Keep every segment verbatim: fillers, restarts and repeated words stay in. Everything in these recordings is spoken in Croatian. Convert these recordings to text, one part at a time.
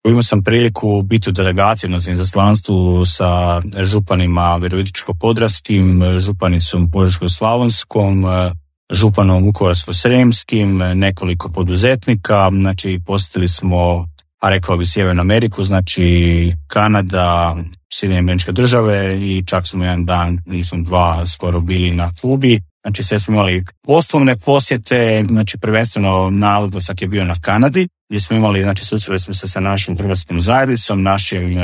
Imao sam priliku biti u delegaciji, odnosno izaslanstvu sa županima Virovitičko-podravskim, županicom Požeško-slavonskom, županom Vukovarsko-srijemskim, nekoliko poduzetnika. Znači, posjetili smo, a rekao bi Sjevernu Ameriku, znači Kanada, Sjedinjene Američke Države i čak smo jedan dan, nisam dva, skoro bili na Kubi. Znači, sve smo imali poslovne posjete, znači prvenstveno naglasak je bio na Kanadi, gdje smo imali, znači susreli smo se sa našim hrvatskim zajednicom, našim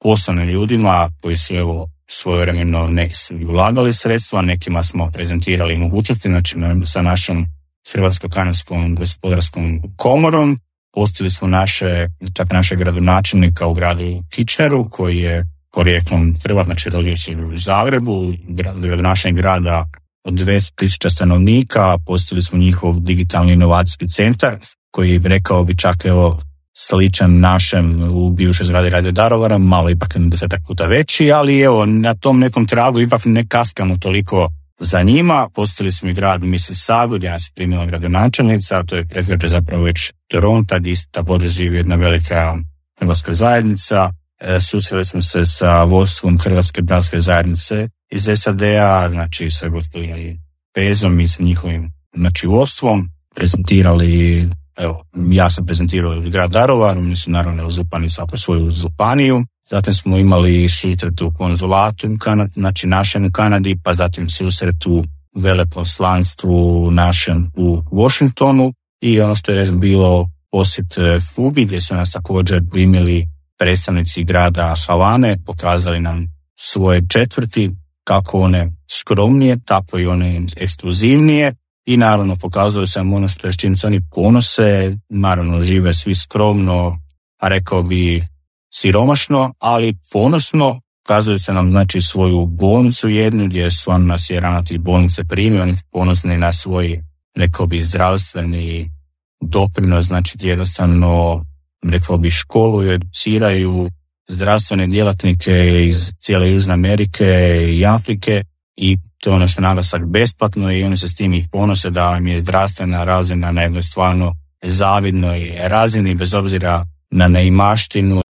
poslovnim ljudima koji su evo svojevremeno neki su ulagali sredstva, nekima smo prezentirali mogućnosti, znači sa našom Hrvatsko-kanadskom gospodarskom komorom. Posjetili smo naše, čak našeg gradonačelnika u gradu Kitcheneru, koji je porijeklom Hrvat, znači rodio se u Zagrebu, gradonačelnik grada od dvjesto tisuća stanovnika. Posjetili smo njihov digitalni inovacijski centar, koji rekao bi čak evo sličan našem u bivšoj zgradi Radio Daruvara, malo ipak desetak puta veći, ali evo na tom nekom tragu ipak ne kaskamo toliko za njima. Posjetili smo i grad Mississauga, gdje nas je primila gradonačelnica, to je predgrađe zapravo već Toronta, gdje isto također živi jedna velika hrvatska zajednica. E, susreli smo se sa vodstvom Hrvatske bratske zajednice iz S A D-a, znači sa gospodinom Pezom i sa njihovim znači, vodstvom, prezentirali. Evo, ja sam prezentirao grad Daruvar, oni su naravno župani svako svoju županiju. Zatim smo imali susret u konzulatu u Kanadi, znači našem u Kanadi, pa zatim susret u veleposlanstvu našem u Washingtonu i ono što je još bilo posjet Kubi, gdje su nas također primili predstavnici grada Havane, pokazali nam svoje četvrti, kako one skromnije, tako i one ekskluzivnije. I naravno pokazuje se ono što s čim se oni ponose, naravno žive svi skromno, a rekao bi siromašno, ali ponosno. Pokazuje se nam znači svoju bolnicu jednu, gdje stvarno nas je ravnatelj bolnice primio, oni su ponosni na svoj, rekao bi, zdravstveni doprinos, znači jednostavno, rekao bi, školu i educiraju zdravstvene djelatnike iz cijele Južne Amerike i Afrike i to je ono što naglasak besplatno i oni se s tim ih ponose da im je zdravstvena razina na jednoj stvarno zavidnoj razini bez obzira na neimaštinu